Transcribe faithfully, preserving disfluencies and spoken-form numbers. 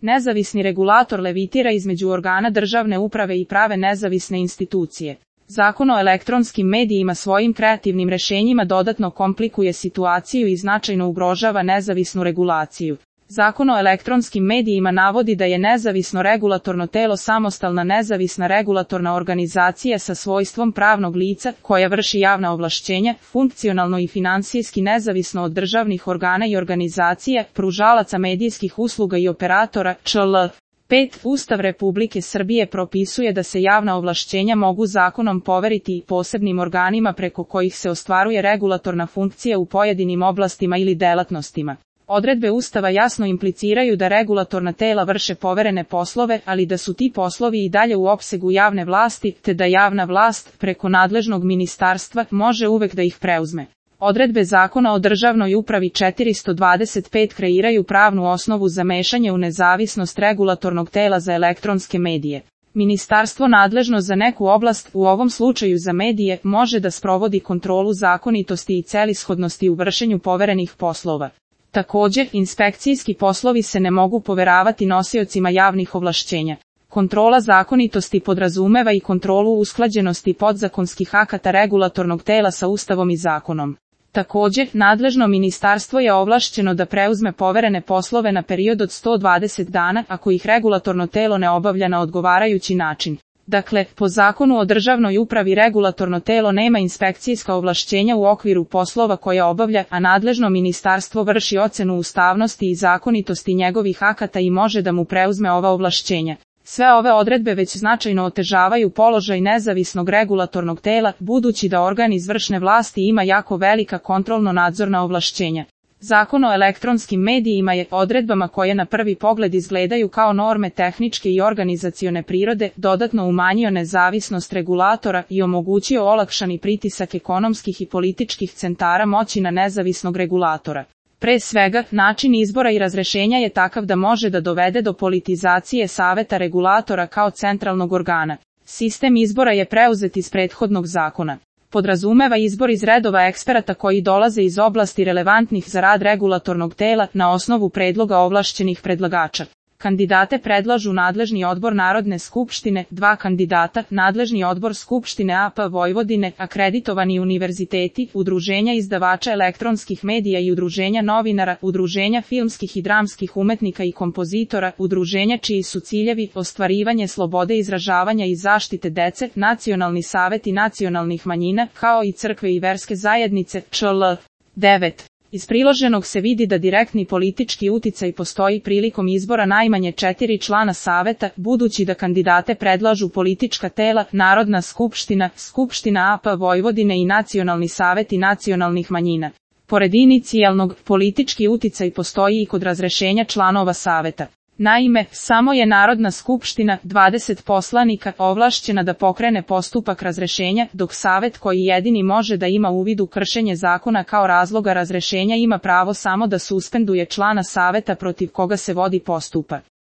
Nezavisni regulator levitira između organa državne uprave i prave nezavisne institucije. Zakon o elektronskim medijima svojim kreativnim rešenjima dodatno komplikuje situaciju i značajno ugrožava nezavisnu regulaciju. Zakon o elektronskim medijima navodi da je nezavisno regulatorno telo samostalna nezavisna regulatorna organizacija sa svojstvom pravnog lica koja vrši javna ovlašćenja, funkcionalno i finansijski nezavisno od državnih organa i organizacija, pružalaca medijskih usluga i operatora, čl. pet. Ustav Republike Srbije propisuje da se javna ovlašćenja mogu zakonom poveriti i posebnim organima preko kojih se ostvaruje regulatorna funkcija u pojedinim oblastima ili delatnostima. Odredbe Ustava jasno impliciraju da regulatorna tela vrše poverene poslove, ali da su ti poslovi i dalje u opsegu javne vlasti, te da javna vlast, preko nadležnog ministarstva, može uvek da ih preuzme. Odredbe Zakona o državnoj upravi četiristo dvadeset pet kreiraju pravnu osnovu za mešanje u nezavisnost regulatornog tela za elektronske medije. Ministarstvo nadležno za neku oblast, u ovom slučaju za medije, može da sprovodi kontrolu zakonitosti i celishodnosti u vršenju poverenih poslova. Također, inspekcijski poslovi se ne mogu poveravati nosiocima javnih ovlašćenja. Kontrola zakonitosti podrazumeva i kontrolu usklađenosti podzakonskih akata regulatornog tela sa Ustavom i zakonom. Također, nadležno ministarstvo je ovlašćeno da preuzme poverene poslove na period od sto dvadeset dana, ako ih regulatorno telo ne obavlja na odgovarajući način. Dakle, po Zakonu o državnoj upravi regulatorno telo nema inspekcijska ovlašćenja u okviru poslova koje obavlja, a nadležno ministarstvo vrši ocenu ustavnosti i zakonitosti njegovih akata i može da mu preuzme ova ovlašćenja. Sve ove odredbe već značajno otežavaju položaj nezavisnog regulatornog tela, budući da organ izvršne vlasti ima jako velika kontrolno-nadzorna ovlašćenja. Zakon o elektronskim medijima je odredbama koje na prvi pogled izgledaju kao norme tehničke i organizacione prirode dodatno umanjio nezavisnost regulatora i omogućio olakšani pritisak ekonomskih i političkih centara moći na nezavisnog regulatora. Pre svega, način izbora i razrešenja je takav da može da dovede do politizacije saveta regulatora kao centralnog organa. Sistem izbora je preuzet iz prethodnog zakona. Podrazumeva izbor iz redova eksperata koji dolaze iz oblasti relevantnih za rad regulatornog tela na osnovu predloga ovlašćenih predlagača. Kandidate predlažu nadležni odbor Narodne skupštine, dva kandidata, nadležni odbor Skupštine A P Vojvodine, akreditovani univerziteti, udruženja izdavača elektronskih medija i udruženja novinara, udruženja filmskih i dramskih umetnika i kompozitora, udruženja čiji su ciljevi ostvarivanje slobode izražavanja i zaštite dece, nacionalni saveti nacionalnih manjina, kao i crkve i verske zajednice, čl. devet. Iz priloženog se vidi da direktni politički uticaj postoji prilikom izbora najmanje četiri člana saveta, budući da kandidate predlažu politička tela, Narodna skupština, Skupština A P Vojvodine i nacionalni saveti nacionalnih manjina. Pored inicijalnog, politički uticaj postoji i kod razrešenja članova saveta. Naime, samo je Narodna skupština, dvadeset poslanika, ovlašćena da pokrene postupak razrešenja, dok savet koji jedini može da ima uvid u kršenje zakona kao razloga razrešenja ima pravo samo da suspenduje člana saveta protiv koga se vodi postupak.